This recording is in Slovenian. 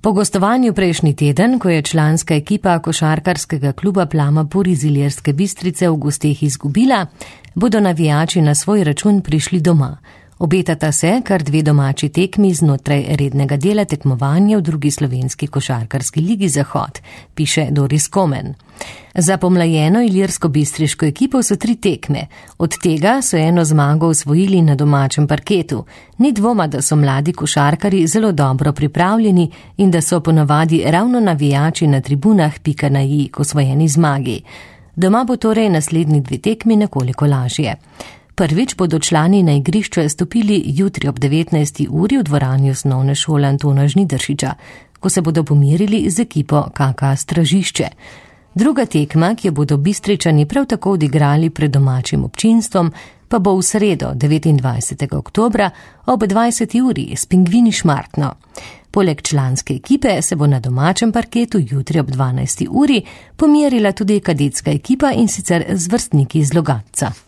Po gostovanju prejšnji teden, ko je članska ekipa košarkarskega kluba Plama-Pur iz Ilirske Bistrice v gosteh izgubila, bodo navijači na svoj račun prišli doma. Obetata se kar 2 domači tekmi znotraj rednega dela tekmovanja v drugi slovenski košarkarski ligi Zahod, piše Doris Komen. Za pomlajeno ilirsko-bistriško ekipo so 3 tekme, od tega so 1 zmago osvojili na domačem parketu. Ni dvoma, da so mladi košarkari zelo dobro pripravljeni in da so ponavadi ravno navijači na tribunah pika na i k osvojeni zmagi. Doma bo torej naslednji 2 tekmi nekoliko lažje. Prvič bodo člani na igrišče stopili jutri ob 19. uri v dvorani osnovne šole Antona Žnidaršiča, ko se bodo pomirili z ekipo KK Stražišče. Druga tekma, ki jo bodo Bistričani prav tako odigrali pred domačim občinstvom, pa bo v sredo 29. oktobra ob 20. uri s Pingvini Šmartno. Poleg članske ekipe se bo na domačem parketu jutri ob 12. uri pomirila tudi kadetska ekipa, in sicer z vrstniki iz Logatca.